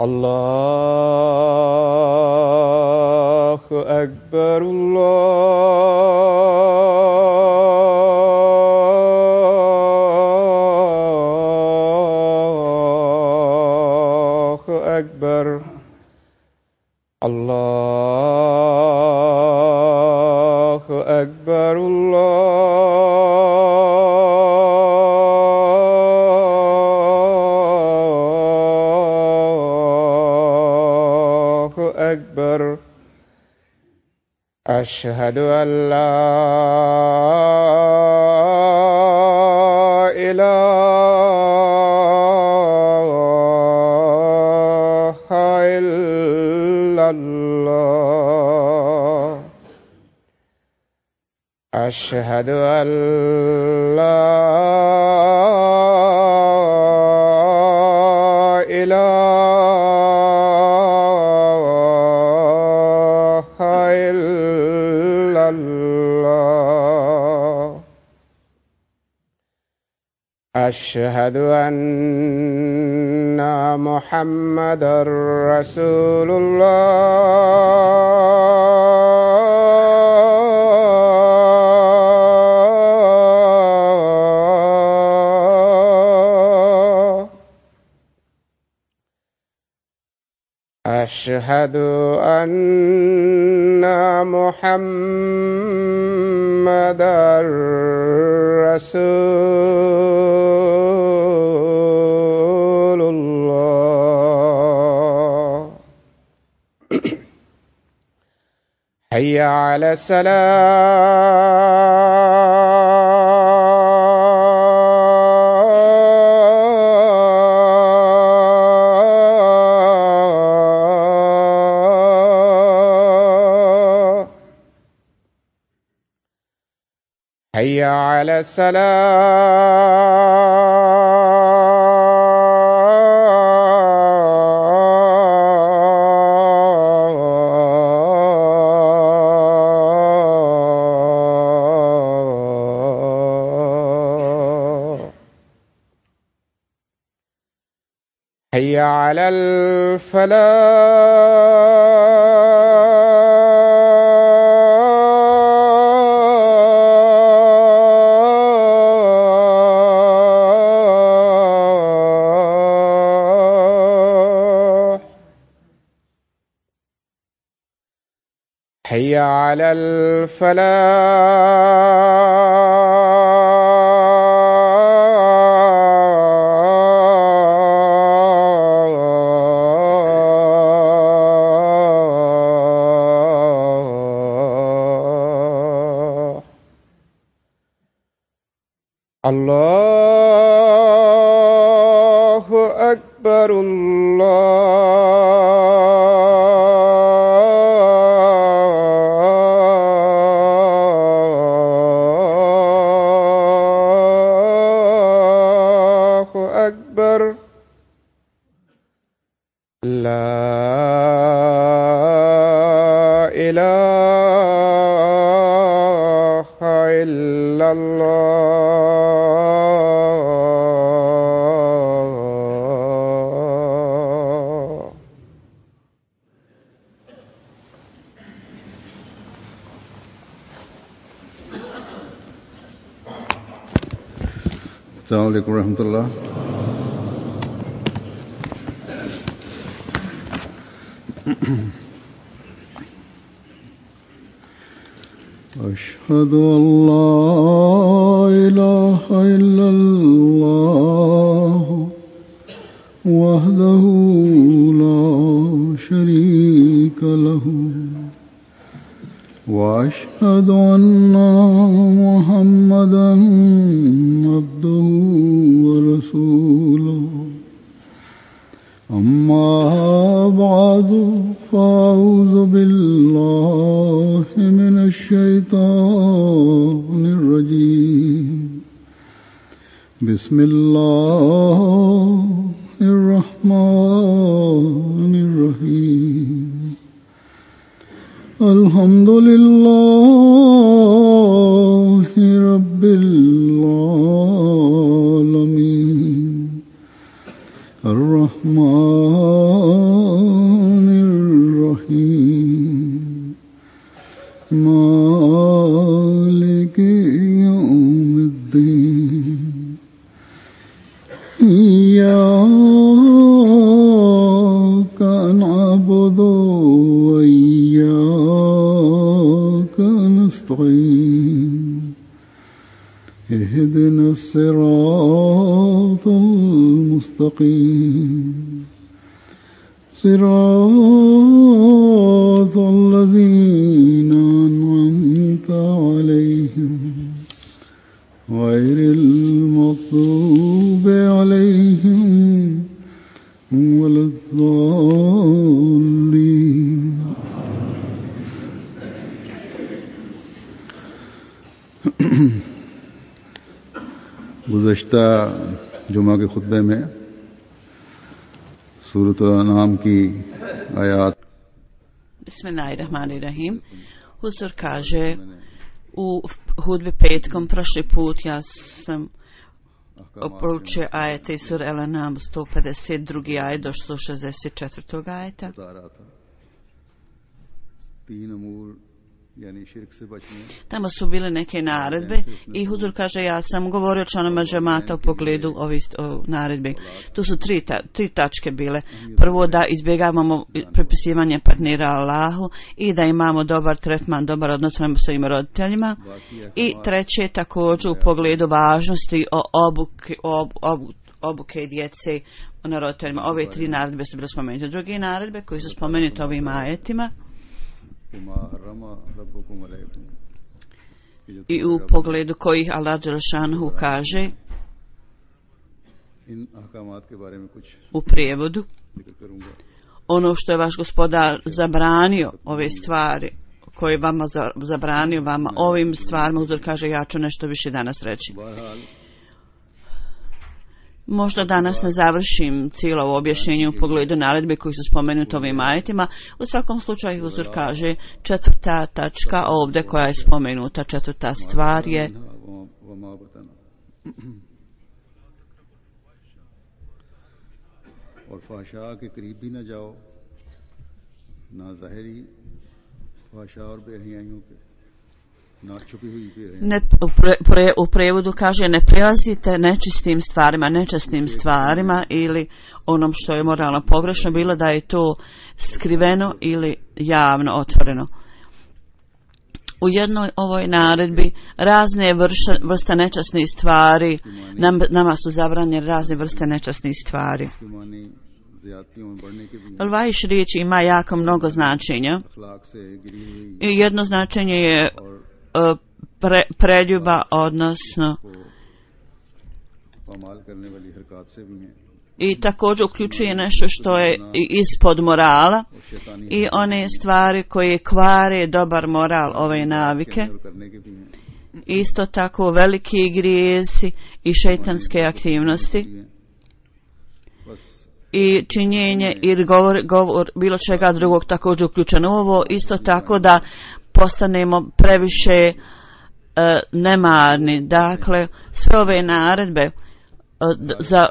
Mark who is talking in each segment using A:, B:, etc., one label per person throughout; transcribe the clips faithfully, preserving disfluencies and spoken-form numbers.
A: الله أكبر الله أكبر الله أكبر الله أكبر أشهد أن لا إله إلا الله أشهد أن لا إله إلا الله أشهد أن محمدًا رسول الله أشهد أن محمدًا رسول الله حي على الصلاة حي على الصلاة حي على الفلاح حي على الفلاح الله أكبر الله أكبر لا إله إلا الله
B: السلام عليكم ورحمة الله. أشهد أن لا إله إلا الله وحده لا شريك له وأشهد أن محمدًا عبده ورسوله أما بعد فأعوذ بالله من الشيطان الرجيم بسم الله الرحمن الرحيم الحمد لله رب العالمين الرحمن الرحيم مالك يوم الدين إياك نعبد وإياك نستعين اهدنا الصراط المستقيم صراط الذين أنعمت عليهم غير المغضوب عليهم ولا الضالين. गुज़श्ता जुमा के खुतबे में सूरत अल-अनाम की आयात
C: Bismillahirrahmanirrahim. Huzur kaže u hudbi petkom prošli put ja sam proučio ajete iz sure Al-An'am sto pedeset drugi ajet do sto šezdeset četvrtog ajeta. Tamo su bile neke naredbe i Huzur kaže ja sam govorio članama džemata u pogledu ovih naredbi. Tu su tri, ta, tri tačke bile. Prvo da izbjegavamo prepisivanje partnera Allahu i da imamo dobar tretman, dobar odnos prema svojim roditeljima. I treće također u pogledu važnosti o obuke, ob, ob, obuke djece na roditeljima. Ove tri naredbe su bile spomenute. Druge naredbe koji su spomenute ovim ajetima i u pogledu kojih Allah dželešanohu kaže u prijevodu ono što je vaš gospodar zabranio, ove stvari koje vama zabranio vama ovim stvarima, Huzur kaže ja ću nešto više danas reći. Možda danas ne završim cijelo ovo objašnjenje u pogledu naredbe koji su spomenuti ovim ajetima. U svakom slučaju Huzur kaže četvrta tačka ovdje koja je spomenuta, četvrta stvar je Ne, u, pre, pre, u prevodu kaže ne prilazite nečistim stvarima, nečasnim stvarima ili onom što je moralno pogrešno, bilo da je to skriveno ili javno otvoreno. U jednoj ovoj naredbi razne vrste, vrste nečasnih stvari, nam, nama su zabranjene razne vrste nečasnih stvari. Vajš riječ ima jako mnogo značenja i jedno značenje je Pre, preljuba, odnosno i također uključuje nešto što je ispod morala i one stvari koje kvare dobar moral ove navike. Isto tako veliki grijesi i šejtanske aktivnosti i činjenje ili govor, govor bilo čega drugog također uključeno u ovo. Isto tako da postanemo previše uh, nemarni. Dakle, sve ove naredbe uh, za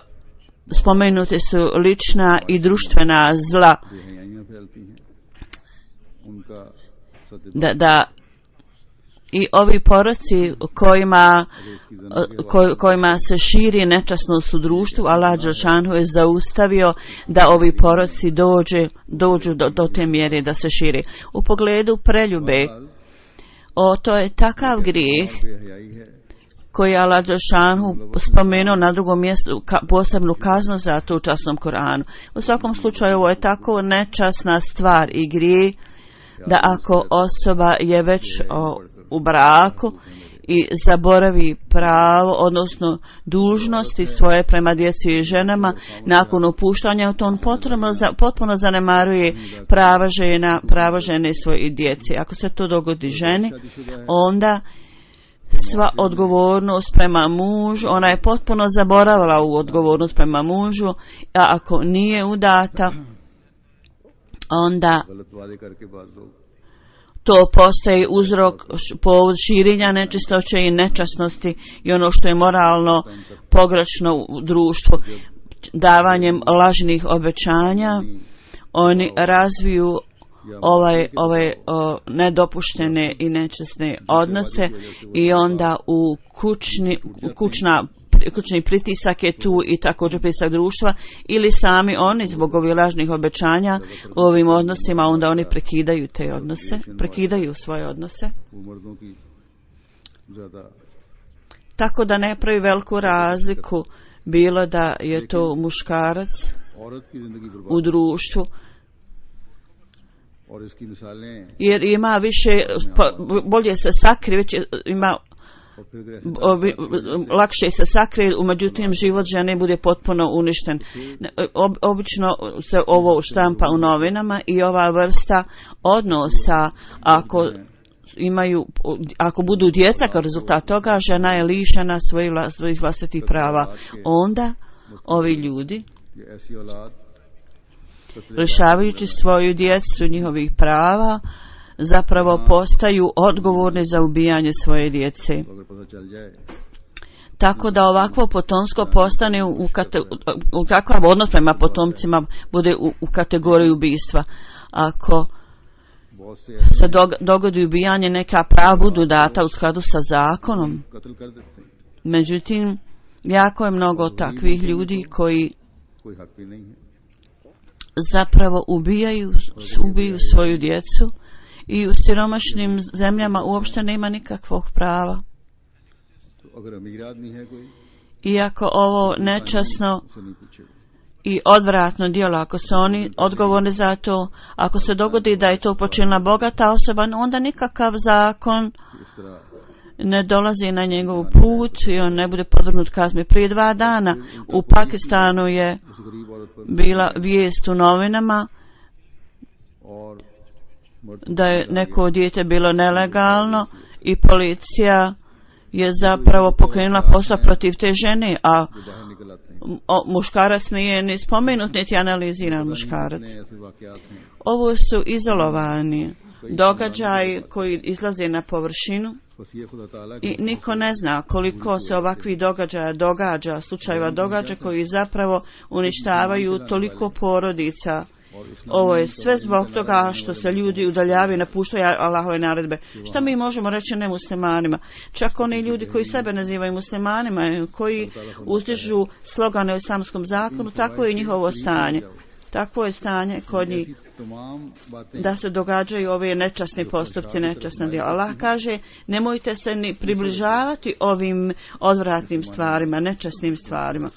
C: spomenute su lična i društvena zla. Da, da i ovi poroci kojima, koj, kojima se širi nečasnost u društvu, Allah dželešanohu je zaustavio da ovi poroci dođe, dođu do, do te mjere da se širi. U pogledu preljube, o, to je takav grijeh koji je Allah dželešanohu spomenuo na drugom mjestu ka, posebnu kaznu za to u časnom Koranu. U svakom slučaju ovo je tako nečasna stvar i grijeh da ako osoba je već o, u braku i zaboravi pravo, odnosno dužnosti svoje prema djeci i ženama, nakon opuštanja to on potpuno, potpuno zanemaruje prava žena, prava žene i svoje djeci. Ako se to dogodi ženi, onda sva odgovornost prema mužu, ona je potpuno zaboravila u odgovornost prema mužu, a ako nije udata, onda to postaje uzrok povod širenja nečistoće i nečasnosti i ono što je moralno pogrešno u društvu. davanjem lažnih obećanja oni razviju ovaj, ovaj o, nedopuštene i nečasne odnose i onda u kućni, kućna, kućni pritisak je tu i također pritisak društva ili sami oni zbog ovih lažnih obećanja u ovim odnosima onda oni prekidaju te odnose, prekidaju svoje odnose. Tako da ne pravi veliku razliku bilo da je to muškarac u društvu, jer ima više, bolje se sakrije, već ima lakše se sakrije, međutim život žene bude potpuno uništen. Obično se ovo štampa u novinama i ova vrsta odnosa, ako imaju, ako budu djeca kao rezultat toga, žena je lišena svojih, svojih vlastitih prava. Onda ovi ljudi, lišavajući svoju djecu njihovih prava, zapravo postaju odgovorni za ubijanje svoje djece. Tako da ovakvo potomstvo postane u, kate, u takav odnos prema potomcima bude u, u kategoriji ubistva. Ako se dogodi ubijanje, neka prava budu data u skladu sa zakonom. Međutim, jako je mnogo takvih ljudi koji zapravo ubijaju, ubiju svoju djecu i u siromašnim zemljama uopšte nema nikakvog prava. Iako ovo nečasno i odvratno djelo, ako su oni odgovorni za to, ako se dogodi da je to počinila bogata osoba, onda nikakav zakon ne dolazi na njegov put i on ne bude podvrgnut kazni. Prije dva dana u Pakistanu je bila vijest u novinama da je neko dijete bilo nelegalno i policija je zapravo pokrenula postupak protiv te žene, a o, muškarac nije ni spomenut, niti analiziran muškarac. Ovo su izolovani događaji koji izlaze na površinu i niko ne zna koliko se ovakvih događaja događa, slučajeva događa koji zapravo uništavaju toliko porodica. Ovo je sve zbog toga što se ljudi udaljavaju i napuštaju Allahove naredbe. Šta mi možemo reći nemuslimanima? Čak oni ljudi koji sebe nazivaju muslimanima, koji uzdižu slogane o islamskom zakonu, tako je njihovo stanje. Takvo je stanje kod njih da se događaju ove nečasni postupci, nečasna djela. Allah kaže, nemojte se ni približavati ovim odvratnim stvarima, nečasnim stvarima.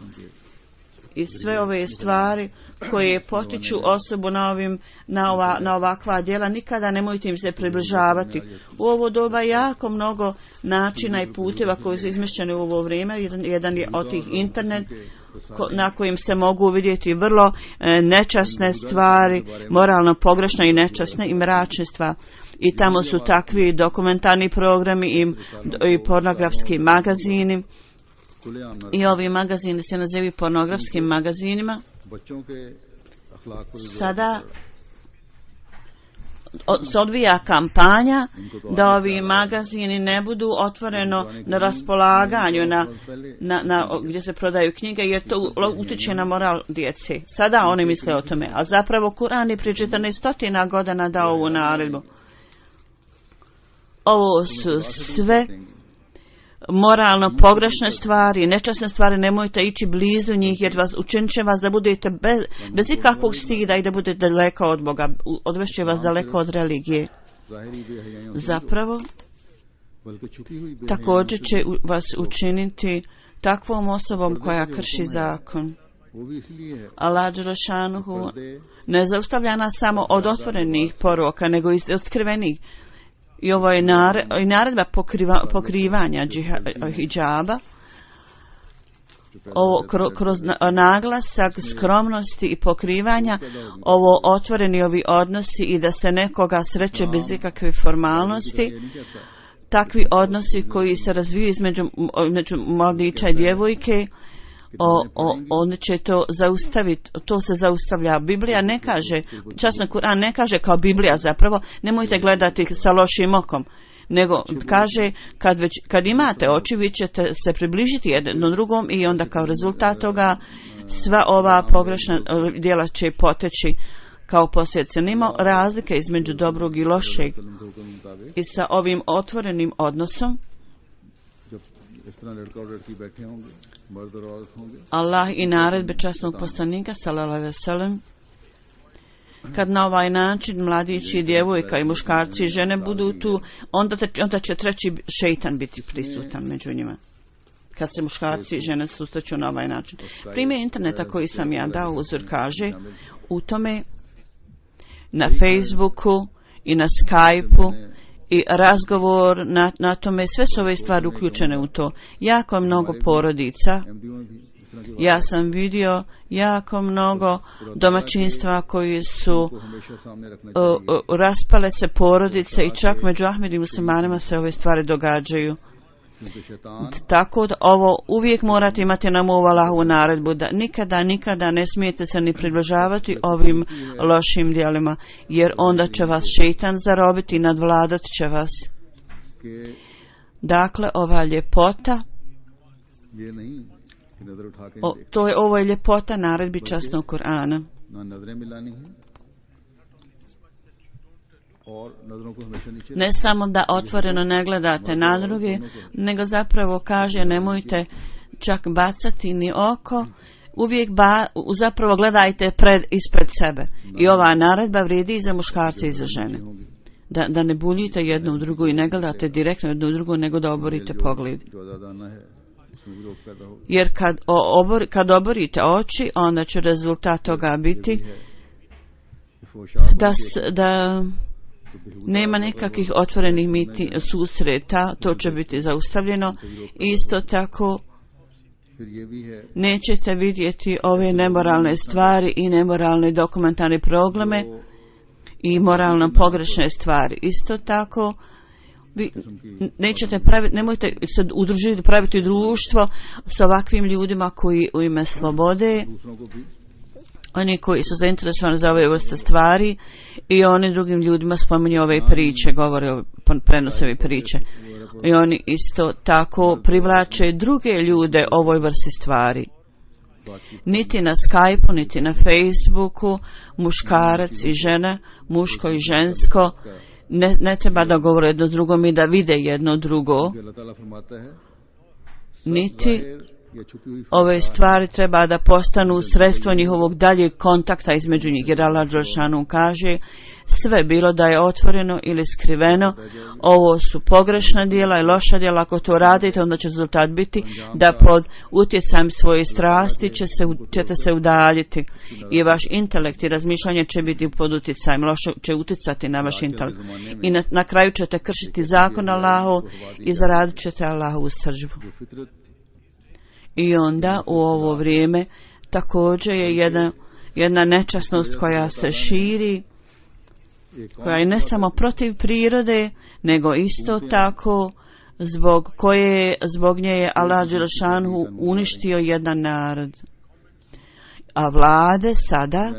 C: I sve ove stvari koje potiču osobu na, ovim, na, ova, na ovakva djela, nikada nemojte im se približavati. U ovo doba jako mnogo načina i puteva koji su izmišljeni u ovo vrijeme. Jedan, jedan je od tih internet ko, na kojim se mogu vidjeti vrlo e, nečasne stvari, moralno pogrešne i nečasne i mračne stvari. I tamo su takvi dokumentarni programi i, i pornografski magazini. I ovi magazini se nazivaju pornografskim magazinima. Sada se odvija kampanja da ovi magazini ne budu otvoreno na raspolaganju na, na, na, gdje se prodaju knjige, jer to utiče na moral djece. Sada oni misle o tome, a zapravo Kur'an je prije četrnaest godina dao ovu naredbu. Ovo su sve moralno pogrešne stvari, nečasne stvari, nemojte ići blizu njih jer vas, učinit će vas da budete bez, bez ikakvog stida i da budete daleko od Boga, odvešće vas daleko od religije. Zapravo, također će vas učiniti takvom osobom koja krši zakon. Allah dželešanuhu ne zaustavlja nas samo od otvorenih poroka, nego i od skrivenih. I ovo je naredba pokriva, pokrivanja džiha, hijjaba, ovo kroz naglasak skromnosti i pokrivanja, ovo otvoreni ovi odnosi i da se nekoga sreće bez ikakve formalnosti, takvi odnosi koji se razviju između, između mladića i djevojke, O, o, on će to zaustaviti, to se zaustavlja. Biblija ne kaže, časno Kur'an ne kaže kao Biblija zapravo, nemojte gledati sa lošim okom. nego kaže kad, već, kad imate oči vi ćete se približiti jednom drugom i onda kao rezultat toga sva ova pogrešna djela će poteći kao posljedice. Nima razlike između dobrog i lošeg i sa ovim otvorenim odnosom Allah i naredbe časnog poslanika sallallahu alejhi ve sellem, kad na ovaj način mladići, djevojka i muškarci i žene budu tu, onda, te, onda će treći šejtan biti prisutan među njima. Kad se muškarci i žene susreću na ovaj način. Primjer interneta koji sam ja dao uzor kaže u tome na Facebooku i na Skypeu i razgovor na, na tome, sve su ove stvari uključene u to. Jako mnogo porodica, ja sam vidio jako mnogo domaćinstva koji su uh, uh, raspale se porodice i čak među Ahmedi muslimanima se ove stvari događaju. Tako da ovo uvijek morate imati na umu Allahovu naredbu da nikada, nikada ne smijete se ni približavati ovim lošim djelima, jer onda će vas šejtan zarobiti i nadvladat će vas. Dakle, ova ljepota, o, to je ovo je ljepota naredbi časnog Kur'ana. Ne samo da otvoreno ne gledate na druge, nego zapravo kaže nemojte čak bacati ni oko, uvijek ba, zapravo gledajte pred, ispred sebe. I ova naredba vrijedi i za muškarce i za žene. Da, da ne buljite jedno u drugo i ne gledate direktno jedno u drugo, nego da oborite pogled. Jer kad, obor, kad oborite oči, onda će rezultat toga biti da, da nema nekakvih otvorenih miti, susreta, to će biti zaustavljeno. Isto tako nećete vidjeti ove nemoralne stvari i nemoralne dokumentarne programe i moralno pogrešne stvari. Isto tako vi nećete praviti, nemojte se udružiti, praviti društvo s ovakvim ljudima koji u ime slobode, oni koji su zainteresovani za ove vrste stvari i oni drugim ljudima spominju ove priče, govore, prenose ove priče. I oni isto tako privlače druge ljude ovoj vrsti stvari. Niti na Skypeu, niti na Facebooku, muškarac i žena, muško i žensko, ne, ne treba da govore jedno drugom i da vide jedno drugo. Niti ove stvari treba da postanu sredstvo njihovog daljeg kontakta između njih. Jer Allah dželešanu kaže sve bilo da je otvoreno ili skriveno, ovo su pogrešna djela i loša djela. Ako to radite, onda će rezultat biti da pod utjecajem svoje strasti će se, ćete se udaljiti i vaš intelekt i razmišljanje će biti pod utjecajem, loše će utjecati na vaš intelekt i na, na kraju ćete kršiti zakon Allahov i zaradit ćete Allahovu srdžbu. I onda u ovo vrijeme također je jedna, jedna nečasnost koja se širi, koja je ne samo protiv prirode, nego isto tako zbog koje, zbog nje je Allah dželešanu uništio jedan narod. A vlade sada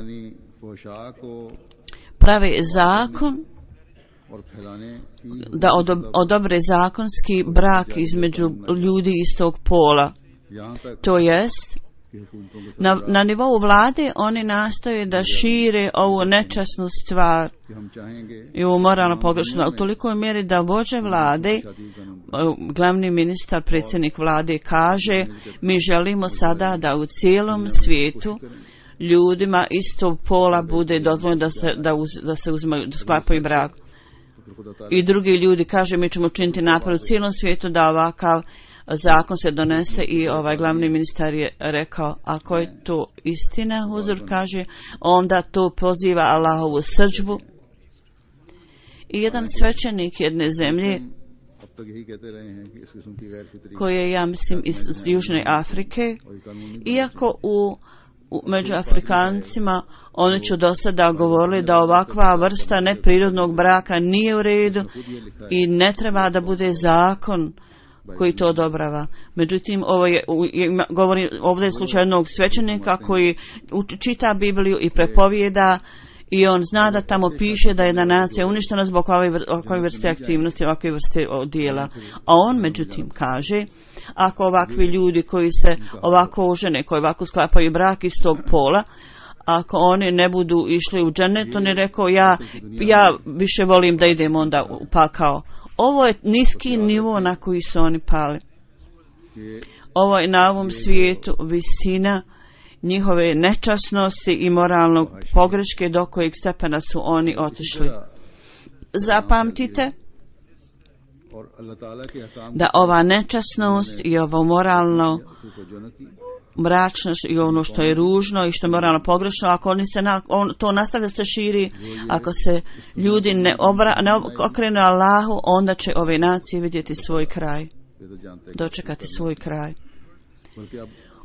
C: prave zakon da odobre zakonski brak između ljudi istog pola. To jest, na, na nivou vlade oni nastoje da šire ovu nečasnu stvar i ovu moralno pogrešnu, u tolikoj mjeri da vođe vlade, glavni ministar, predsjednik vlade kaže mi želimo sada da u cijelom svijetu ljudima istog pola bude dozvoljeno da se, da uz, da se uzmaju, da sklapaju brak. I drugi ljudi kaže mi ćemo učiniti napad u cijelom svijetu da ovakav zakon se donese i ovaj glavni ministar je rekao ako je to istina, Huzur kaže, onda to poziva Allahovu srdžbu. I jedan svećenik jedne zemlje koji je, ja mislim, iz Južne Afrike, iako u, u među Afrikancima oni će do sada govorili da ovakva vrsta neprirodnog braka nije u redu i ne treba da bude zakon koji to odobrava. Međutim, ovo je, je govori, ovdje je slučaj jednog svećenika koji čita Bibliju i prepovijeda i on zna da tamo piše da je jedna nacija uništena zbog ovakve vrste aktivnosti, ovakve vrste dijela. A on međutim kaže, ako ovakvi ljudi koji se ovako ožene, koji ovako sklapaju brak iz tog pola, ako oni ne budu išli u džennet, on je rekao, ja, ja više volim da idem onda u pakao. Ovo je niski nivo na koji su oni pali. Ovo je na ovom svijetu visina njihove nečasnosti i moralnog pogreške do kojeg stepena su oni otišli. Zapamtite da ova nečasnost i ovo moralno mračnost i ono što je ružno i što je moralno pogrešno, ako oni se na, on, to nastavlja se širi, ako se ljudi ne, obra, ne okrenu Allahu, onda će ove nacije vidjeti svoj kraj, dočekati svoj kraj.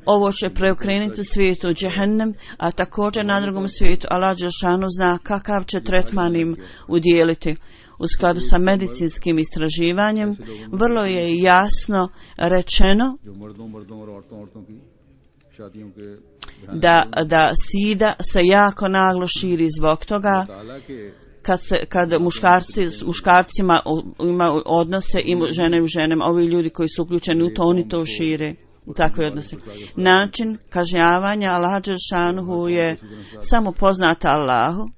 C: Ovo će preokrenuti svijetu u džehennem, a također na drugom svijetu Allah dželešanu zna kakav će tretman im udjeliti. U skladu sa medicinskim istraživanjem vrlo je jasno rečeno da, da sida se jako naglo širi zbog toga kad, se, kad muškarci s muškarcima ima odnose i žene u ženama, ovi ljudi koji su uključeni u to, oni to šire u takve odnose. Način kažnjavanja Allah dželešanu je samo poznata Allahu.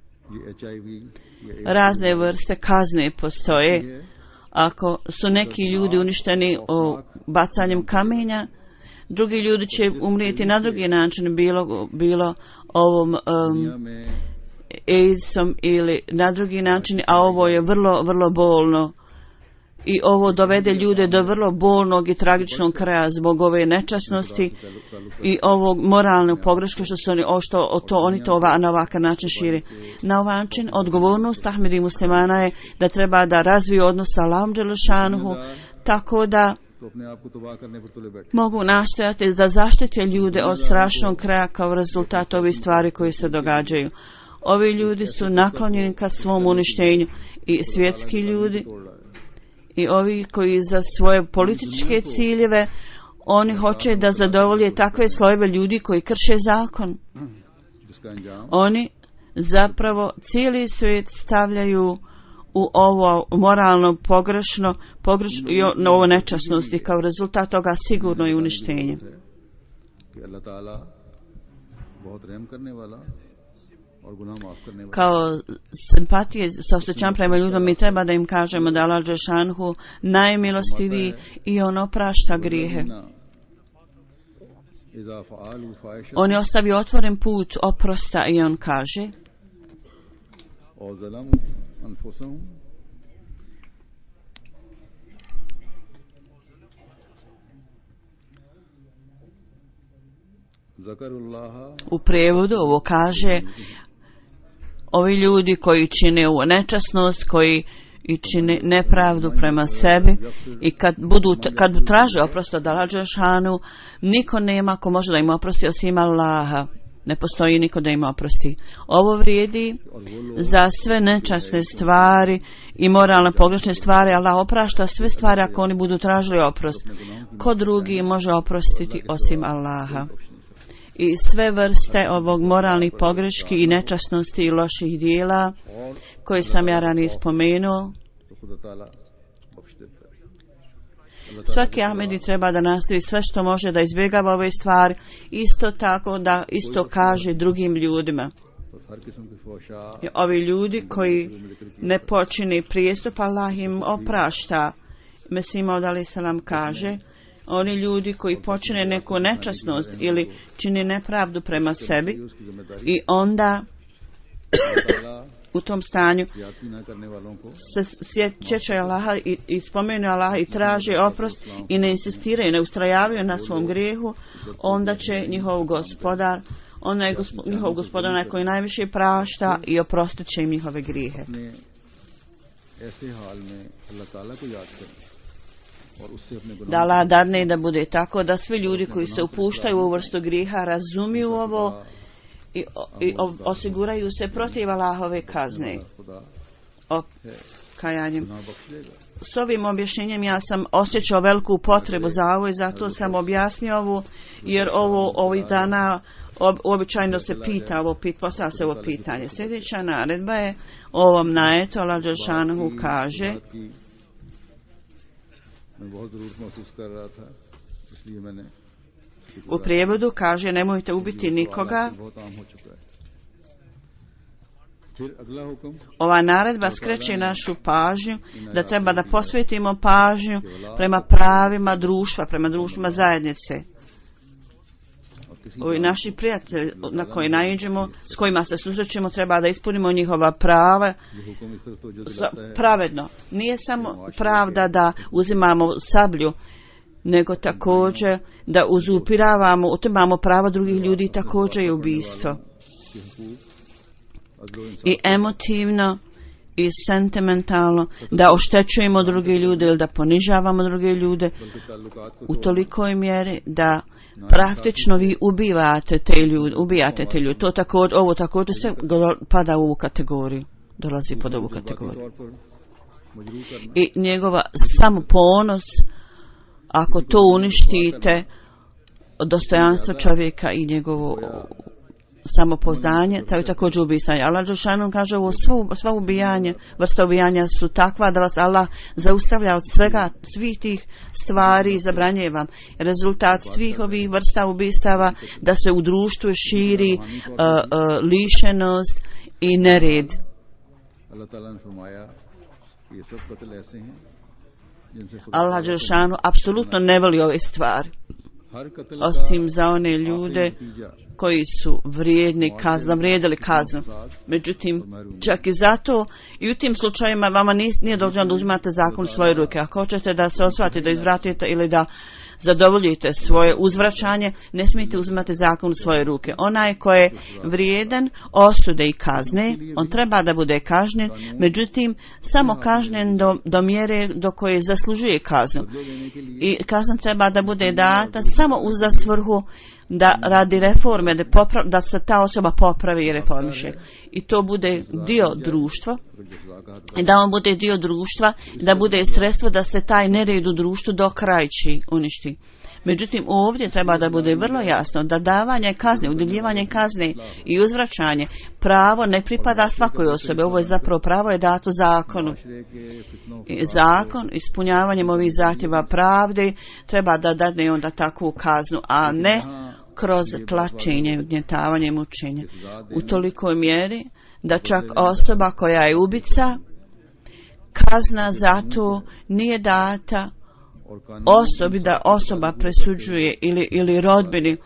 C: Razne vrste kazne postoje. Ako su neki ljudi uništeni o bacanjem kamenja, drugi ljudi će umrijeti na drugi način, bilo, bilo ovom um, AIDS-om ili na drugi način, a ovo je vrlo, vrlo bolno. I ovo dovede ljude do vrlo bolnog i tragičnog kraja zbog ove nečasnosti i ovog moralnog pogreška što su oni, o što, o to, oni to ova, na ovakav način širi. Na ovaj način odgovornost Ahmedi muslimana je da treba da razviju odnos sa Allahom dželešanuhu, tako da mogu nastojati da zaštite ljude od strašnog kraja kao rezultat ovih stvari koji se događaju. Ovi ljudi su naklonjeni ka svom uništenju i svjetski ljudi i ovi koji za svoje političke ciljeve oni hoće da zadovolje takve slojeve ljudi koji krše zakon. Oni zapravo cijeli svijet stavljaju u ovo moralno pogrešno, pogrešno i ovo nečasnosti, kao rezultat toga sigurno je uništenje. Kao simpatije sa osjećam prema ljudima mi treba da im kažemo da Allah dželešanu najmilostiviji i on oprašta grijehe. On je ostavio otvoren put oprosta i on kaže u prevodu ovo kaže ovi ljudi koji čine ovu nečasnost, koji i čine nepravdu prema sebi i kad budu kad traže oprost od Allaha dželešanu, niko nema ko može da im oprosti osim Allaha. Ne postoji niko da im oprosti. Ovo vrijedi za sve nečasne stvari i moralne pogrešne stvari. Allah oprašta sve stvari ako oni budu tražili oprost. Ko drugi može oprostiti osim Allaha? I sve vrste ovog moralnih pogreški i nečasnosti i loših dijela koje sam ja ranije spomenuo, svaki Ahmedi treba da nastavi sve što može da izbjegava ove stvari, isto tako da isto kaže drugim ljudima. I ovi ljudi koji ne počini prijestup, Allah im oprašta. Mesih Maud alejhi selam kaže, oni ljudi koji počine neku nečasnost ili čini nepravdu prema sebi i onda u tom stanju se sjećaju Allaha i, i spomenu Allaha i traže oprost i ne insistiraju, ne ustrajavaju na svom grijehu, onda će njihov gospodar, onda je gospo, njihov gospodar onaj koji najviše prašta i oprostit će im njihove grijehe. Da Allah dadne da bude tako da svi ljudi koji se upuštaju u vrstu grijeha razumiju ovo i, i osiguraju se protiv Allahove kazne o kajanjem. S ovim objašnjenjem ja sam osjećao veliku potrebu za ovo i zato sam objasnio ovo, jer ovo ovih dana običajno se pita ovo, pit, postavlja se ovo pitanje. Sljedeća naredba je ovom najetu Allah dželešanohu kaže u prijevodu kaže nemojte ubiti nikoga. Ova naredba skreće našu pažnju da treba da posvetimo pažnju prema pravima društva, prema društvima zajednice. Ovi naši prijatelji na koje naiđemo, s kojima se susrećemo, treba da ispunimo njihova prava pravedno. Nije samo pravda da uzimamo sablju, nego također da uzupiravamo, otimamo prava drugih ljudi, također je ubistvo. I emotivno i sentimentalno da oštećujemo druge ljude ili da ponižavamo druge ljude u tolikoj mjeri da praktično vi ubivate te ljude, ubijate te ljude. To također, ovo također se pada u ovu kategoriju, dolazi pod ovu kategoriju. I njegova samoponos, ako to uništite, dostojanstvo čovjeka i njegovo samopouzdanje, to je također ubijanje. Allah dželešanohu kaže ovo sva, sva ubijanja, vrsta ubijanja su takva da vas Allah zaustavlja od svega, svih tih stvari i zabranjuje vam. Rezultat svih ovih vrsta ubistava da se u društvu širi uh, uh, lišenost i nered. Allah dželešanohu apsolutno ne voli ove stvari, osim za one ljude koji su vrijedni kazna, vrijedili kaznu. Međutim, čak i zato i u tim slučajima vama nije, nije dovoljno da uzimate zakon u svoje ruke. Ako hoćete da se osvatite, da izvratite ili da zadovoljite svoje uzvraćanje, ne smijete uzimati zakon u svoje ruke. Onaj ko je vrijedan osude i kazne, on treba da bude kažnjen, međutim, samo kažnjen do, do mjere do koje zaslužuje kaznu. I kazna treba da bude data samo uz za svrhu da radi reforme, da, poprav, da se ta osoba popravi i reformiše. I to bude dio društva, i da on bude dio društva, da bude sredstvo da se taj nered u društvu dokrajči, uništi. Međutim, ovdje treba da bude vrlo jasno da davanje kazne, udjeljivanje kazne i uzvraćanje pravo ne pripada svakoj osobi. Ovo je zapravo pravo je dato zakonu. I zakon, ispunjavanjem ovih zahtjeva pravde, treba da dadne onda takvu kaznu, a ne kroz tlačenje, ugnjetavanje i mučenje. U tolikoj mjeri da čak osoba koja je ubica, kazna za to nije data osobi da osoba presuđuje ili, ili rodbini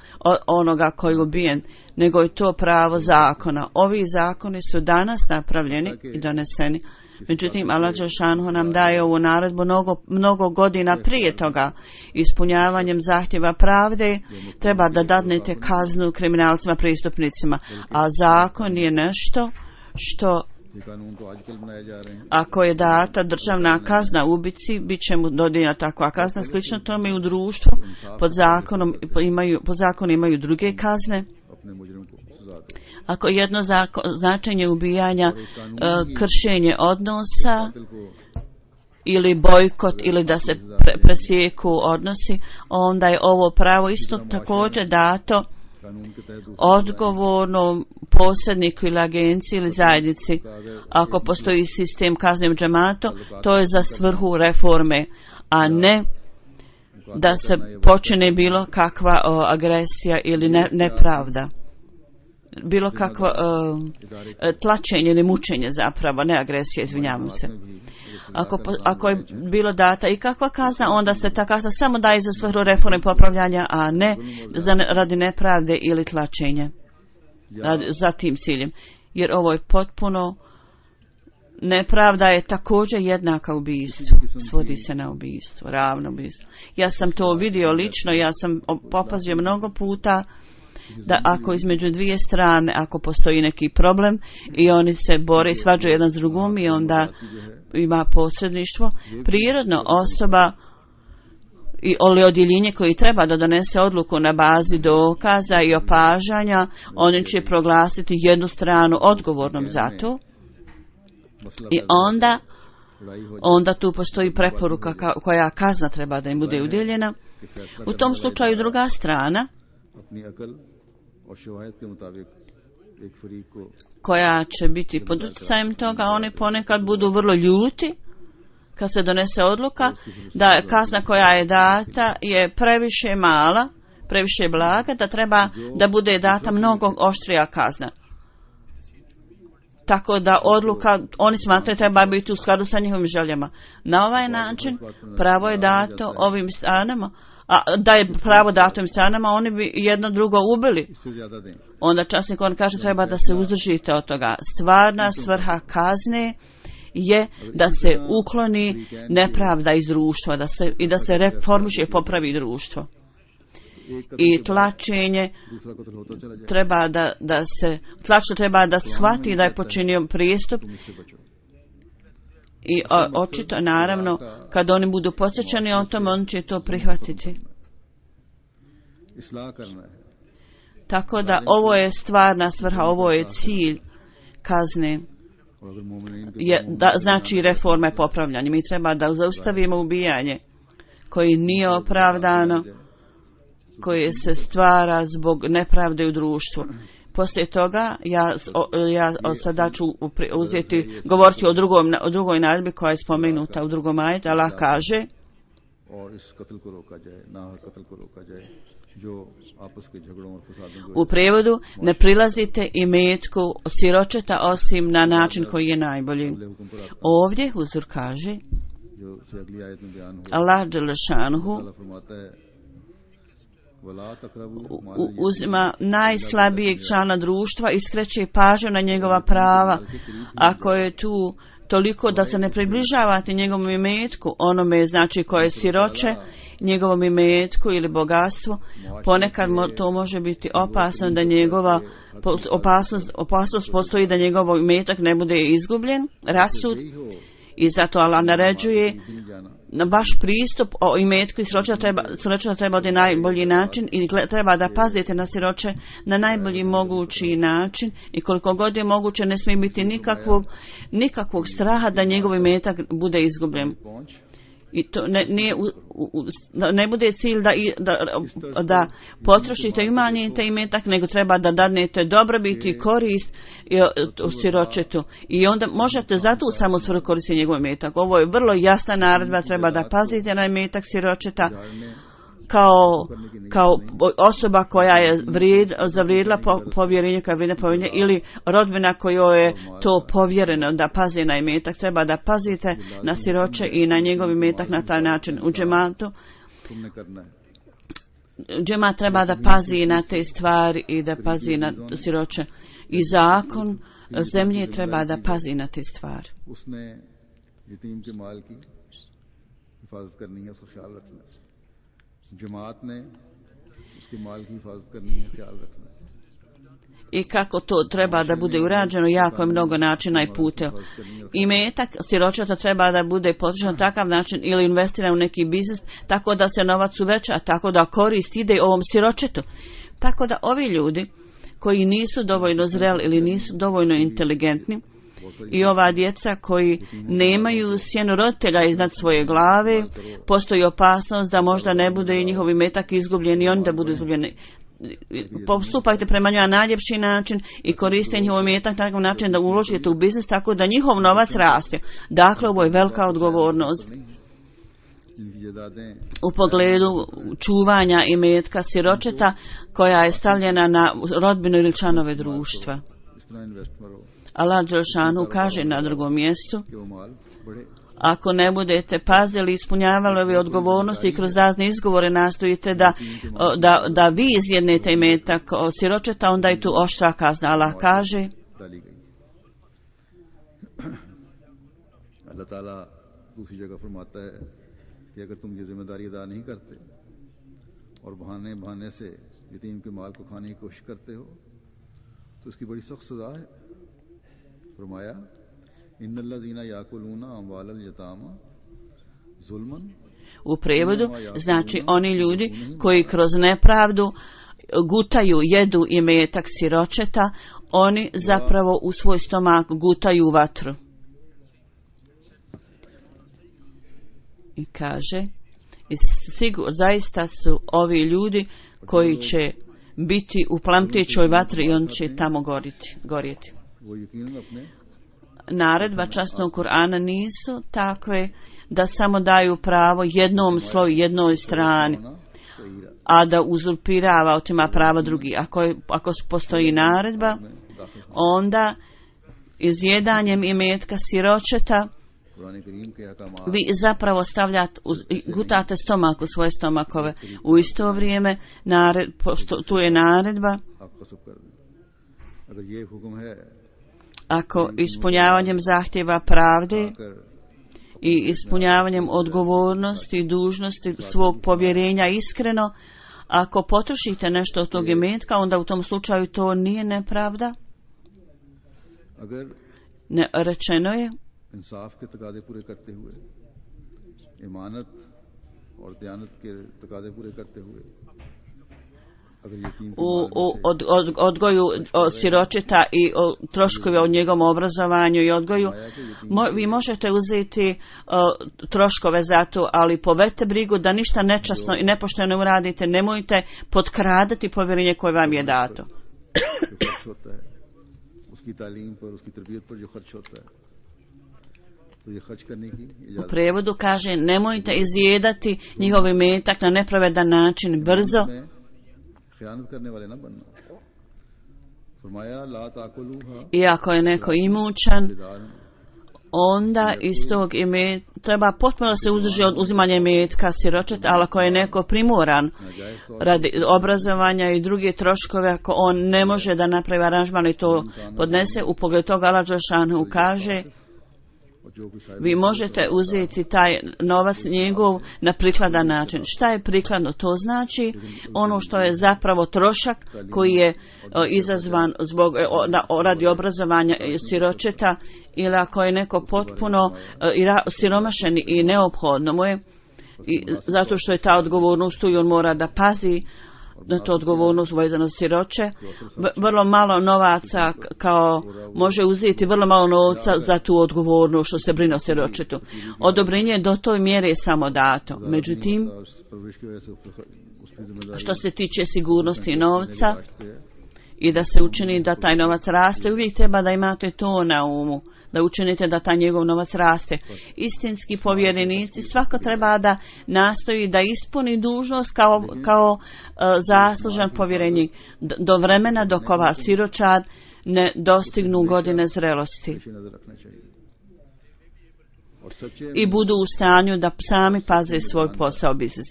C: onoga koji je ubijen, nego je to pravo zakona. Ovi zakoni su danas napravljeni i doneseni. Međutim, Allah dželešanohu nam daje ovu naredbu mnogo, mnogo godina prije toga. Ispunjavanjem zahtjeva pravde treba da dadnete kaznu kriminalcima, prestupnicima, a zakon je nešto što ako je data državna kazna ubici, bit će mu dodijeljena takva kazna. Slično tome i u društvu pod zakonom imaju, po zakonu imaju druge kazne. Ako jedno zako, značenje ubijanja uh, kršenje odnosa ili bojkot ili da se pre, presjeku odnosi, onda je ovo pravo isto također dato odgovornom posredniku ili agenciji ili zajednici. Ako postoji sistem kazne u džematu, to je za svrhu reforme, a ne da se počine bilo kakva o, agresija ili ne, nepravda. Bilo kakvo uh, tlačenje ili mučenje zapravo, ne agresija, izvinjavam se. Ako, ako je bilo data i kakva kazna, onda se ta kazna samo daje za svrhu reforme i popravljanja, a ne za, radi nepravde ili tlačenja radi, za tim ciljem. Jer ovo je potpuno, nepravda je također jednaka ubijstvu, svodi se na ubijstvo, ravno ubijstvo. Ja sam to vidio lično, ja sam opazio mnogo puta da ako između dvije strane, ako postoji neki problem i oni se bore i svađaju jedan s drugom i onda ima posredništvo, prirodno osoba i oli odjeljenje koji treba da donese odluku na bazi dokaza i opažanja, oni će proglasiti jednu stranu odgovornom za to i onda onda tu postoji preporuka koja kazna treba da im bude udjeljena. U tom slučaju druga strana
B: और शवाहिद के मुताबिक एक फरीक को
C: koja će biti pod utjecajem toga, oni ponekad budu vrlo ljuti kad se donese odluka da kazna koja je data je previše mala, previše blaga, da treba da bude data mnogo oštrija kazna. Tako da odluka, oni smatraju, treba biti u skladu sa njihovim željama. Na ovaj način pravo je dato ovim stranama, a da je pravo dato ovim stranama, oni bi jedno drugo ubili. Onda časnik on kaže treba da se uzdržite od toga. Stvarna svrha kazne je da se ukloni nepravda iz društva, da se, i da se reformiše i popravi društvo. I tlačenje treba da, da se, tlačno treba da shvati da je počinio prijestup i o, očito naravno kad oni budu podsjećani o tome, on će to prihvatiti. Tako da ovo je stvarna svrha, ovo je cilj kazne. Je, da, znači reforma i popravljanje. Mi treba da zaustavimo ubijanje koje nije opravdano, koje se stvara zbog nepravde u društvu. Poslije toga ja, ja sada ću uzeti, govoriti o, drugom, o drugoj naredbi koja je spomenuta u drugom ajetu. Allah kaže u prijevodu, ne prilazite imetku siročeta osim na način koji je najbolji. Ovdje Huzur kaže Allah dželešanuhu uzima najslabijeg člana društva i skreće pažnju na njegova prava. Ako je tu toliko da se ne približavate njegovom imetku, onome znači koje je siroče, njegovom imetku ili bogatstvu, ponekad to može biti opasno da njegova opasnost, opasnost postoji da njegov imetak ne bude izgubljen, rasud, i zato Allah naređuje na vaš pristup o imetku i siroče treba, siroče treba na najbolji način i treba da pazite na siroče na najbolji mogući način i koliko god je moguće ne smije biti nikakvog, nikakvog straha da njegov imetak bude izgubljen. I to ne, ne, u, u, ne bude cilj da, da, da potrošite i umanjite imetak, nego treba da dadnete dobrobit i korist u siročetu. I onda možete zato u samu svrhu koristiti njegov imetak. Ovo je vrlo jasna naredba, treba da pazite na imetak siročeta kao, kao osoba koja je vrijed, zavrijedila po, povjerenje, kao vrijedne povjerenje, ili rodbina kojoj je to povjereno da pazi na imetak. Treba da pazite na siroče i na njegov imetak na taj način. U džematu džemat treba da pazi na te stvari i da pazi na siroče. I zakon zemlje treba da pazi na te stvari. I kako to treba da bude urađeno, jako je mnogo načina i puteva. Imetak siročeta treba da bude potrošen na takav način ili investiran u neki biznis, tako da se novac uveća, tako da korist ide ovom siročetu. Tako da ovi ljudi koji nisu dovoljno zreli ili nisu dovoljno inteligentni, i ova djeca koji nemaju sjenu roditelja iznad svoje glave, postoji opasnost da možda ne bude i njihov imetak izgubljen i oni da budu izgubljeni. Postupajte prema njima na najljepši način i koriste njihov imetak na takav način da uložite u biznis tako da njihov novac raste. Dakle, ovo je velika odgovornost u pogledu čuvanja imetka siročeta koja je stavljena na rodbinu ili članove društva. Allah dželešanu kaže na drugom mjestu, ako ne budete pazili, ispunjavali ove odgovornosti i kroz razne izgovore nastojite da, da, da vi izjednete imetak siročeta, onda je tu oštra kazna. Allah kaže
B: Allah Ta'ala दूसरी जगह फरमाता है कि अगर तुम ये जिम्मेदारी अदा नहीं करते और बहाने बहाने से यतीम के माल को खाने की कोशिश करते हो तो उसकी बड़ी सख्त सजा है. फरमाया इन्नल्लज़ीना याकुलूना अम्वालल यतामा ज़ुल्मन.
C: U prevodu znači oni ljudi koji kroz nepravdu gutaju, jedu imetak siročeta, oni zapravo u svoj stomak gutaju vatru. I kaže, i sigur, zaista su ovi ljudi koji će biti u plamtećoj vatri i on će tamo goriti, gorjeti. Naredba časnog Kur'ana nisu takve da samo daju pravo jednom sloju, jednoj strani, a da uzurpirava otima prava drugi. Ako, je, ako postoji naredba, onda izjedanjem imetka siročeta vi zapravo stavljate, gutate stomak u svoje stomakove. U isto vrijeme nared, pošto, tu je naredba, ako ispunjavanjem zahtjeva pravde i ispunjavanjem odgovornosti i dužnosti svog povjerenja iskreno, ako potrošite nešto od tog imetka, onda u tom slučaju to nije nepravda. Ne, rečeno je
B: इंसाफ के तकादे पूरे करते हुए, इमानत और दयानत के तकादे पूरे करते हुए,
C: u, u od, od, odgoju od siročeta i o, troškove od njegovom obrazovanju i odgoju, mo, vi možete uzeti o, troškove za to, ali povedite brigu da ništa nečasno i nepošteno uradite. Nemojte potkradati povjerenje koje vam je dato. U prevodu kaže, nemojte izjedati njihov imetak na nepravedan način, brzo. I ako je neko imućan, onda iz tog imetka treba potpuno se uzdrži od uzimanja imetka siročeta, ali ako je neko primoran radi obrazovanja i druge troškove, ako on ne može da napravi aranžman i to podnese, u pogledu toga Allah dželešanu kaže, vi možete uzeti taj novac njegov na prikladan način. Šta je prikladno? To znači ono što je zapravo trošak koji je o, izazvan zbog o, na, o, radi obrazovanja siročeta, ili ako je neko potpuno o, i ra, siromašen i neophodno mu je, i zato što je ta odgovornost tu i on mora da pazi na to odgovornost vezano siroče. Vrlo malo novaca kao može uzeti vrlo malo novca za tu odgovornost što se brine o siročetu. Odobrenje do toj mjere je samo dato. Međutim, što se tiče sigurnosti novca i da se učini da taj novac raste, uvijek treba da imate to na umu, da učinite da taj njegov novac raste. Istinski povjerenici svako treba da nastoji da ispuni dužnost kao, kao uh, zaslužan povjerenik do vremena dok ova siročad ne dostignu godine zrelosti i budu u stanju da sami paze svoj posao biznis.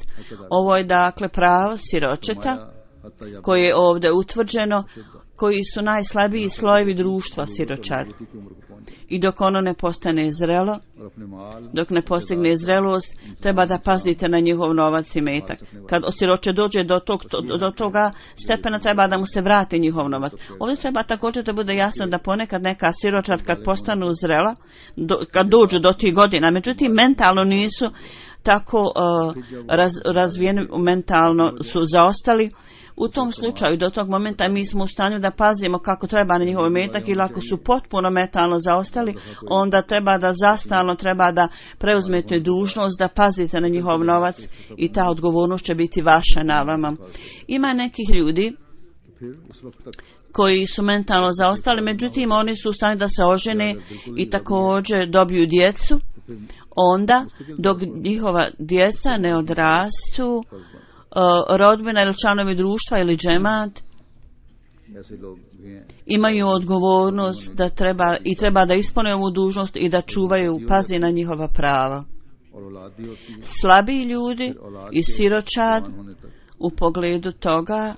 C: Ovo je dakle pravo siročeta koje je ovdje utvrđeno, koji su najslabiji slojevi društva siročad. I dok ono ne postane zrelo, dok ne postigne zrelost, treba da pazite na njihov novac i metak. Kad siroče dođe do, tog, do toga stepena, treba da mu se vrati njihov novac. Ovdje treba također da bude jasno da ponekad neka siročad kad postanu zrela, do, kad dođu do tih godina, međutim mentalno nisu tako uh, raz, razvijeni, mentalno su zaostali. U tom slučaju, do tog momenta, mi smo u stanju da pazimo kako treba na njihov metak, ili ako su potpuno metalno zaostali, onda treba da zastalno treba da preuzmete dužnost, da pazite na njihov novac i ta odgovornost će biti vaša na vama. Ima nekih ljudi koji su mentalno zaostali, međutim oni su u stanju da se ožene i također dobiju djecu, onda dok njihova djeca ne odrastu, rodbina ili članovi društva ili džemat imaju odgovornost da treba i treba da ispune ovu dužnost i da čuvaju, pazi na njihova prava. Slabiji ljudi i siročad u pogledu toga,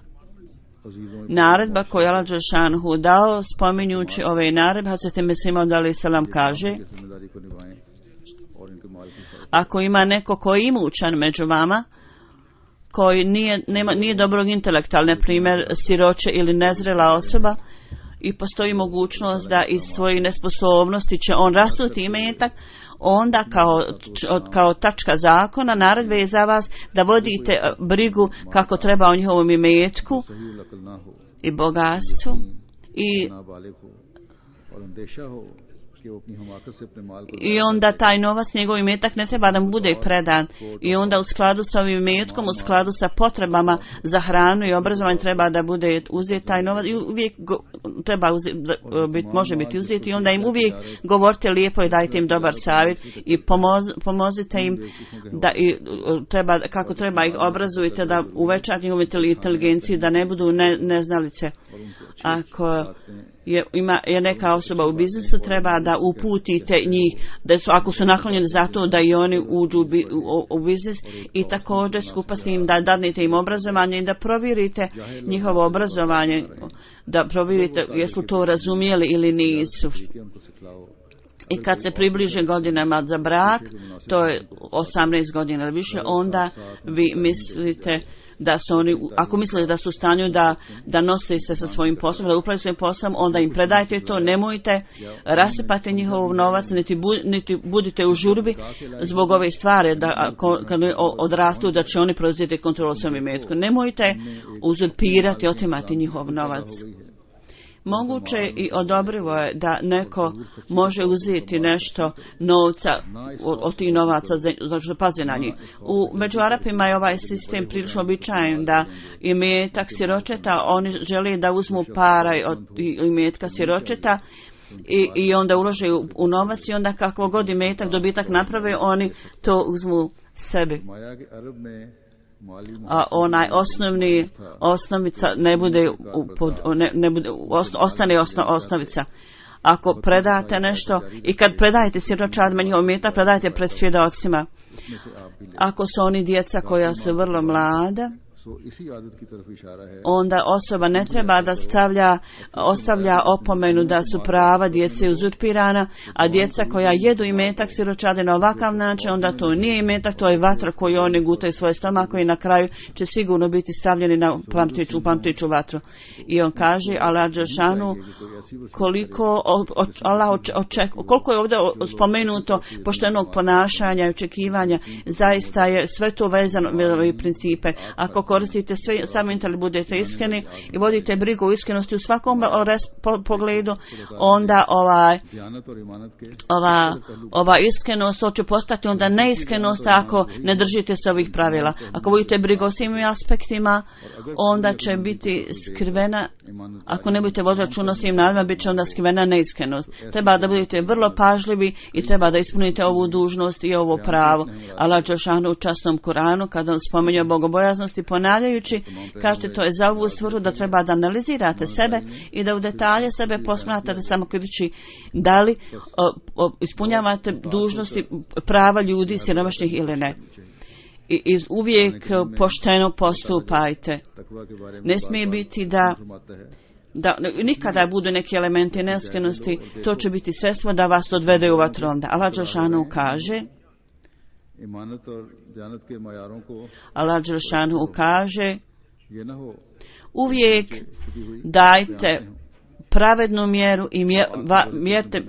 C: naredba koju Allah dželešanu dao, spominjući ove naredbe, Hazreti Mesih Maud alejhi selam kaže, ako ima neko koji je imućan među vama, koji nije, nema, nije dobrog intelekta, na primjer siroče ili nezrela osoba, i postoji mogućnost da iz svojih nesposobnosti će on rasuti imetak, onda kao, kao tačka zakona naredbe je za vas da vodite brigu kako treba o njihovom imetku i bogatstvu i I onda taj novac, njegov imetak ne treba da mu bude predan. I onda u skladu sa ovim imetkom, u skladu sa potrebama za hranu i obrazovanje treba da bude uzet taj novac i uvijek go, treba uzet, bit, može biti uzet i onda im uvijek govorite lijepo i dajte im dobar savjet i pomoz, pomozite im da i treba, kako treba ih obrazujete da uvećate njihovu inteligenciju, da ne budu ne, neznalice. Ako je, ima, je neka osoba u biznisu, treba da uputite njih, da su, ako su naklonjeni za to da i oni uđu u, u, u biznis i također skupa s njim da dadnete im obrazovanje i da provjerite njihovo obrazovanje, da provjerite jesu to razumijeli ili nisu. I kad se približe godinama za brak, to je osamnaest godina ili više, onda vi mislite da su oni, ako mislite da su u stanju da, da nose se sa svojim poslom, da upravljaju svojim poslom, onda im predajte to, nemojte rasipati njihov novac, niti, bu, niti budite u žurbi zbog ove stvari, da ako, kad odrastu, da će oni preuzeti kontrolu svojom imetku. Nemojte uzurpirati, otimati njihov novac. Moguće i odobrivo je da neko može uzeti nešto novca od, od tih novaca, znači pazi na njih. U među Arapima je ovaj sistem prilično običajan da imetak siročeta, oni žele da uzmu para od imetka siročeta i, i onda ulože u, u novac i onda kakvo god imetak, dobitak naprave, oni to uzmu sebi. A onaj osnovni osnovica ne bude, pod, ne, ne bude ostane osno, osnovica. Ako predate nešto i kad predajete siročadima njihov imetak, predajte pred svjedocima. Ako su oni djeca koja su vrlo mlada, onda osoba ne treba da stavlja, ostavlja opomenu da su prava djece uzurpirana, a djeca koja jedu imetak siročade na ovakav način, onda to nije imetak, to je vatra koju oni gutaju svoje stomako i na kraju će sigurno biti stavljeni na plamtiću, u plamtiću vatru. I on kaže, Allah dželešanu, koliko Allah oček, koliko je ovdje spomenuto poštenog ponašanja i očekivanja, zaista je sve to vezano u principe. Ako koristite sve, samo inteli budete iskreni i vodite brigu o iskrenosti u svakom res, po, pogledu, onda ovaj, ova, ova iskrenost će postati onda neiskrenost ako ne držite se ovih pravila. Ako vodite brigu o svim aspektima, onda će biti skrivena, ako ne budete voditi računa o svim naravima, bit će onda skrivena neiskrenost. Treba da budete vrlo pažljivi i treba da ispunite ovu dužnost i ovo pravo. Allah dželešanu u časnom Kuranu, kada on spominje bogobojaznosti, ponavljajući, kažete to je za ovu svrhu da treba da analizirate sebe i da u detalje sebe posmatrate samo kritički da li o, o, ispunjavate dužnosti prava ljudi siromašnih ili ne. I, i uvijek pošteno postupajte. Ne smije biti da da nikada budu neki elementi neiskrenosti, to će biti sredstvo da vas odvede u vatru. Allah dželešanu kaže, Allah dželešanu kaže, uvijek dajte pravednu mjeru i mjerte,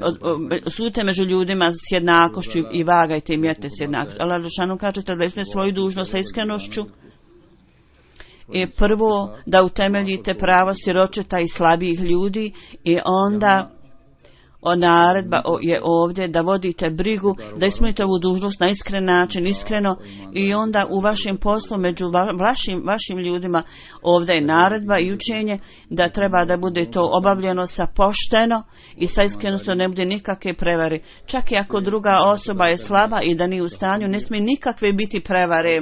C: sudite među ljudima s jednakošću i vagajte i mjerte s jednakošću. Allah dželešanu kaže da ispunite svoju dužnost sa iskrenošću i prvo da utemeljite pravo siročeta i slabijih ljudi i onda o naredba je ovdje da vodite brigu, da ispunite ovu dužnost na iskren način, iskreno i onda u vašem poslu među vašim, vašim ljudima ovdje je naredba i učenje da treba da bude to obavljeno sa pošteno i sa iskrenosti, ne bude nikakve prevare. Čak i ako druga osoba je slaba i da nije u stanju, ne smije nikakve biti prevare.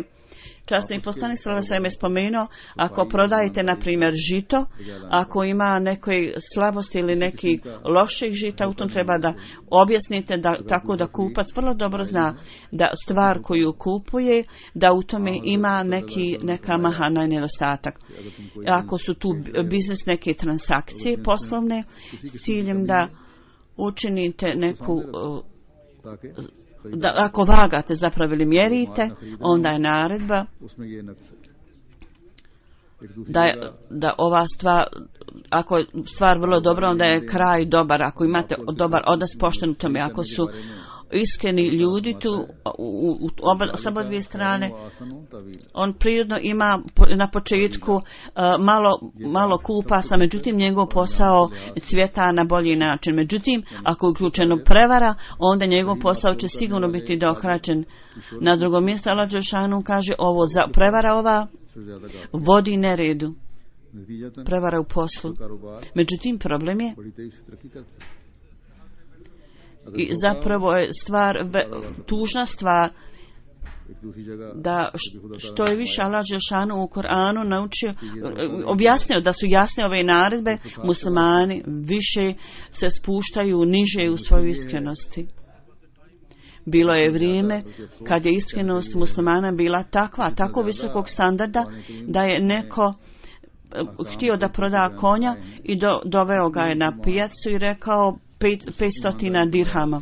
C: Časni poslanik sallallahu alejhi ve sellem je spomenuo, ako prodajete na primjer žito, ako ima neke slabosti ili neki loših žita, u tom treba da objasnite da tako da kupac vrlo dobro zna da stvar koju kupuje, da u tome ima neki neka mahana i nedostatak. Ako su tu biznis neke transakcije poslovne s ciljem da učinite neku da ako vagate zapravo ili mjerite, onda je naredba da, je, da ova stvar, ako je stvar vrlo dobra, onda je kraj dobar. Ako imate dobar odnos pošten u tome, ako su iskreni ljudi tu u, u oba, s oba dvije strane. On prirodno ima na početku uh, malo, malo kupasa, međutim njegov posao cvjeta na bolji način. Međutim, ako je uključeno prevara, onda njegov posao će sigurno biti dohračen. Na drugom mjestu Allah dželešanu kaže ovo za prevara ova vodi neredu. Prevara u poslu. Međutim, problem je i zapravo je stvar, tužna stvar da što je više Allah dželešanu u Koranu naučio, objasnio da su jasne ove naredbe, muslimani više se spuštaju niže u svojoj iskrenosti. Bilo je vrijeme kad je iskrenost muslimana bila takva, tako visokog standarda da je neko htio da proda konja i do, doveo ga je na pijacu i rekao petstotina dirhama.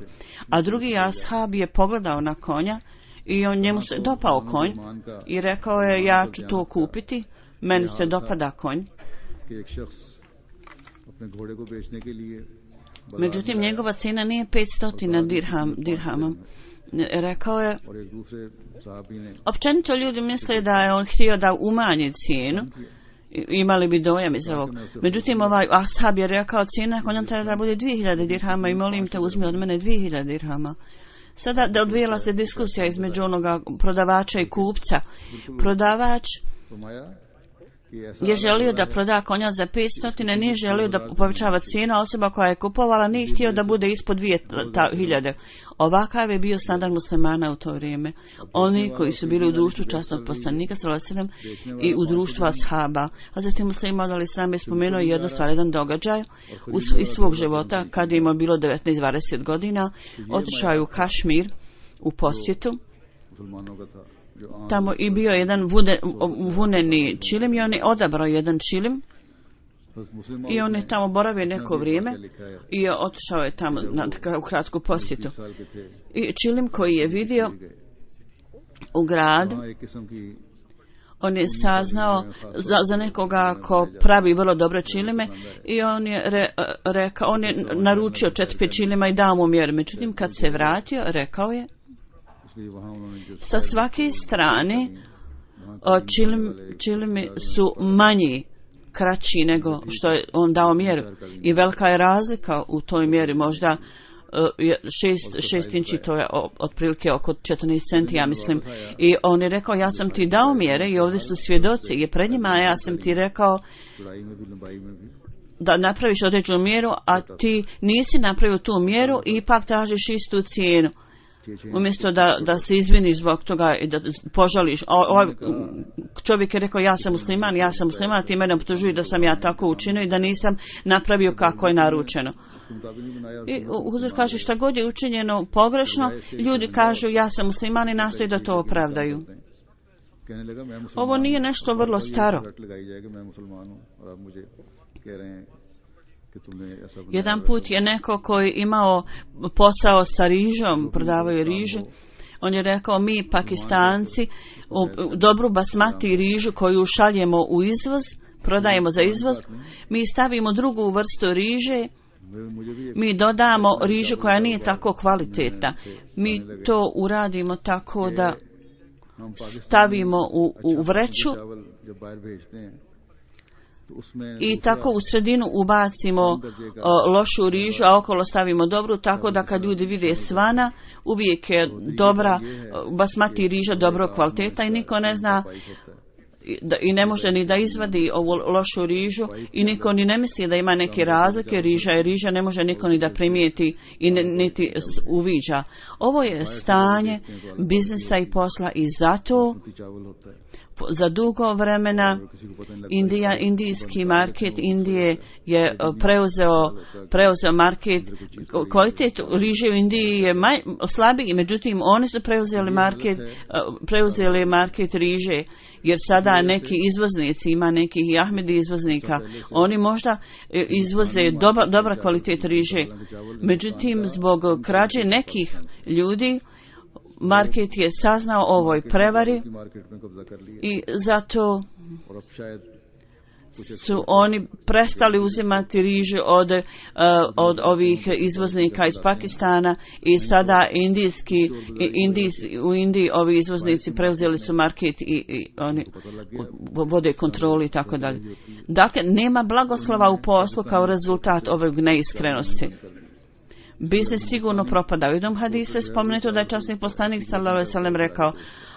C: A drugi ashab je pogledao na konja i on njemu se dopao konj i rekao je ja ću to kupiti, meni se dopada konj. Međutim, njegova cijena nije petstotina dirham, dirhama. Rekao je, općenito ljudi misle da je on htio da umanji cijenu, imali bi dojam iz ovog. Međutim, ovaj ashab je rekao cijena konja treba da bude dvije hiljade dirhama i molim te uzmi od mene dvije hiljade dirhama. Sada da odvijela se diskusija između onoga prodavača i kupca. Prodavač je želio da proda konja za petsto, nije želio da povećava cijena, osoba koja je kupovala nije htio da bude ispod dvije hiljade. Ovakav je bio standard muslimana u to vrijeme. Oni koji su bili u društvu časnog poslanika sallallahu alejhi ve sellem i u društvu ashaba. A zatim Muslim Maud alejhi selam je spomenuo jednu stvar, jedan događaj iz svog života kad je imao bilo devetnaest dvadeset godina, otišao je u Kašmir u posjetu. Tamo i bio jedan vude, vuneni čilim i on je odabrao jedan čilim i on je tamo boravio neko vrijeme i otišao je tamo na kratku posjetu. I čilim koji je vidio u gradu, on je saznao za, za nekoga ko pravi vrlo dobre čilime i on je re, rekao, on je naručio četiri pet čilima i dao mu mjeru. Međutim, kad se vratio, rekao je sa svake strane čilim, čilimi su manji, kraći nego što je on dao mjeru i velika je razlika u toj mjeri, možda šest, šest inči, to je otprilike oko četrnaest centi, ja mislim. I on je rekao, ja sam ti dao mjere i ovdje su svjedoci i pred njima, a ja sam ti rekao da napraviš određenu mjeru, a ti nisi napravio tu mjeru i ipak tražiš istu cijenu. Umjesto da, da se izviniš zbog toga i da požališ. O, o, čovjek je rekao, ja sam musliman, ja sam musliman, ti mene optužuju da sam ja tako učinio i da nisam napravio kako je naručeno. I Huzur kaže, šta god je učinjeno pogrešno, ljudi kažu, ja sam musliman i nastoji da to opravdaju. Ovo nije nešto vrlo staro. Jedan put je neko koji imao posao sa rižom, prodavaju rižu, on je rekao, mi Pakistanci dobru basmati rižu koju šaljemo u izvoz, prodajemo za izvoz, mi stavimo drugu vrstu riže, mi dodamo rižu koja nije tako kvalitetna, mi to uradimo tako da stavimo u, u vreću i tako u sredinu ubacimo o, lošu rižu, a okolo stavimo dobru, tako da kad ljudi vide svana, uvijek je dobra basmati riža dobro kvaliteta i niko ne zna i ne može ni da izvadi ovu lošu rižu i niko ni ne misli da ima neke razlike, riža je riža, ne može niko ni da primijeti i ne, niti uviđa. Ovo je stanje biznisa i posla i zato za dugo vremena Indija, indijski market Indije je preuzeo, preuzeo market, kvalitet riže u Indiji je maj, slabiji, međutim oni su preuzeli market, preuzeli market riže, jer sada neki izvoznici, ima nekih i Ahmedi izvoznika, oni možda izvoze dobra, dobra kvalitet riže, međutim zbog krađe nekih ljudi market je saznao ovoj prevari i zato su oni prestali uzimati rižu od, uh, od ovih izvoznika iz Pakistana i sada indijski, indijs, u Indiji ovi izvoznici preuzeli su market i, i oni vode kontrolu i tako dalje. Dakle, nema blagoslova u poslu kao rezultat ovog neiskrenosti. Biznis sigurno propada. U jednom hadisu je spomenuto da je časni poslanik sallallahu alejhi ve sellem rekao,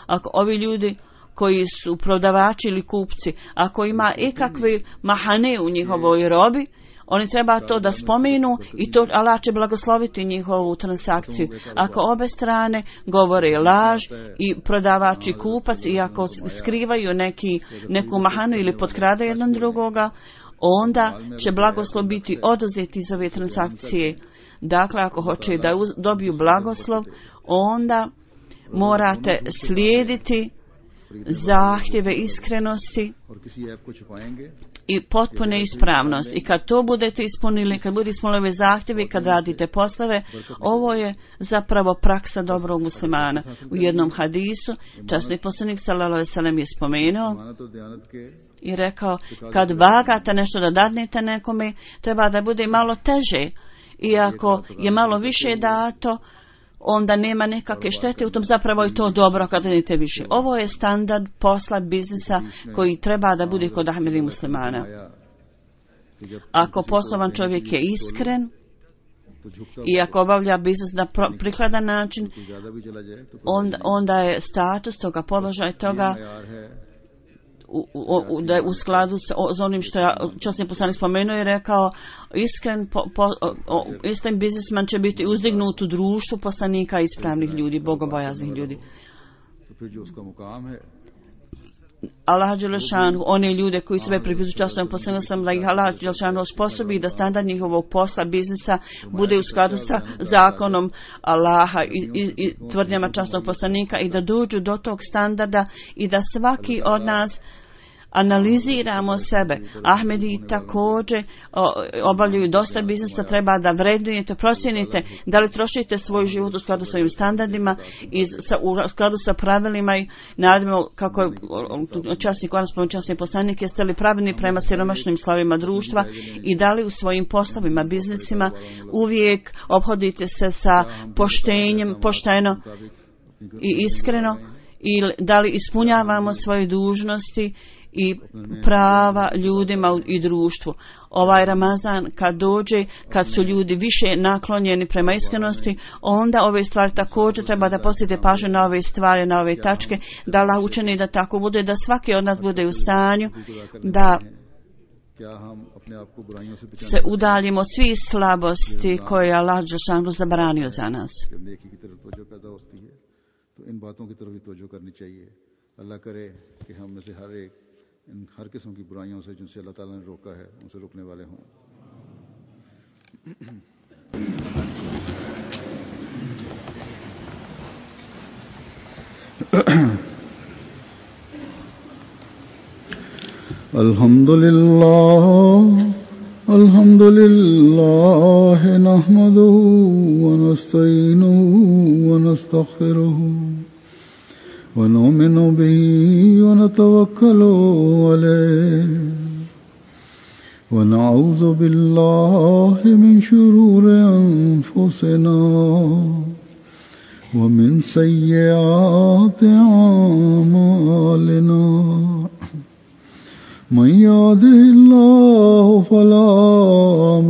C: ako ovi ljudi koji su prodavači ili kupci, ako ima ikakve mahane u njihovoj robi, oni treba to da spomenu i to Allah će blagosloviti njihovu transakciju. Ako obe strane govore laž i prodavač i kupac i ako skrivaju neki, neku mahanu ili potkrade jedan drugoga, onda će blagoslov biti oduzet iz ove transakcije. Dakle, ako hoće da uz, dobiju blagoslov, onda morate slijediti zahtjeve iskrenosti i potpune ispravnost. I kad to budete ispunili, kad budete ispunili ove zahtjeve, kad radite poslove, ovo je zapravo praksa dobrog muslimana. U jednom hadisu časni poslanik sallallahu alejhi ve sellem je spomenuo i rekao, kad vagate nešto da dadnete nekome, treba da bude malo teže. Iako je malo više dato, onda nema nekakve štete, u tom zapravo je to dobro kad idete više. Ovo je standard posla, biznisa koji treba da bude kod Ahmedi muslimana. Ako poslovan čovjek je iskren i ako obavlja biznis na prikladan način, onda, onda je status toga, položaj toga U, u, da je u skladu s, o, s onim što ja časni poslanik spomenuo i rekao, iskren po, po, o, iskren biznisman će biti uzdignut u društvu poslanika ispravnih ljudi, bogobojaznih ljudi. Allah dželešanu, one ljude koji sebe pripisuju časnom poslaniku sam da ih Allah dželešanu osposobi da standard njihovog posla, biznisa bude u skladu sa zakonom Allaha i, i, i tvrdnjama časnog poslanika i da dođu do tog standarda i da svaki od nas analiziramo sebe. Ahmedi također obavljaju dosta biznisa, treba da vrednujete, procijenite da li trošite svoj život u skladu sa svojim standardima i sa, u skladu sa pravilima i nadimo kako je časnik, on spomenuo časni poslanik, jeste li pravilni prema siromašnim slavima društva i da li u svojim poslovima, biznisima uvijek obhodite se sa poštenjem, pošteno i iskreno i da li ispunjavamo svoje dužnosti i prava ljudima i društvu. Ovaj Ramazan kad dođe, kad su ljudi više naklonjeni prema iskrenosti, onda ove stvari također treba da posjete pažnju na ove stvari, na ove tačke, da Allah učini da tako bude, da svaki od nas bude u stanju da se udaljimo od svih slabosti koje je Allah dželešanu zabranio za nas. इन हर किस्म की बुराइयों से जिनसे अल्लाह ताला ने रोका है उनसे रुकने वाले हों. अल्हम्दुलिल्लाह अल्हम्दुलिल्लाह नहमदुहु व नस्तईनुहु व नस्तगफिरुहु ونؤمن به ونتوكل عليه ونعوذ بالله من شرور أنفسنا ومن سيئات أعمالنا من يهده الله فلا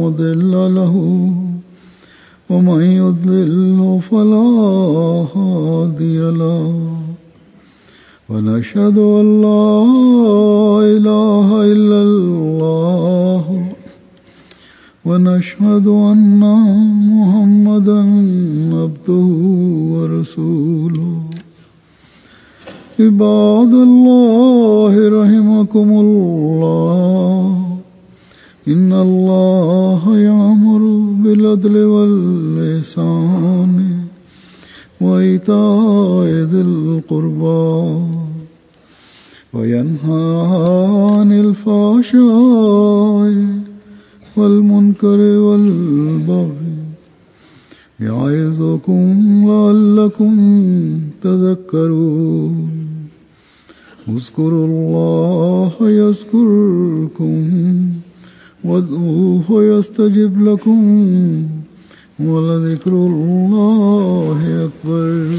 C: مضل له ومن يضلل فلا هادي له ونشهد أن لا إله إلا الله ونشهد أن محمدا عبده ورسوله عباد الله رحمكم الله إن الله يأمر بالعدل والإحسان وإيتاء ذي القربى وينهى عن الفحشاء والمنكر والبغي يعظكم لعلكم تذكرون
B: اذكروا الله يذكركم وادعوه يستجب لكم ولذكر الله أكبر.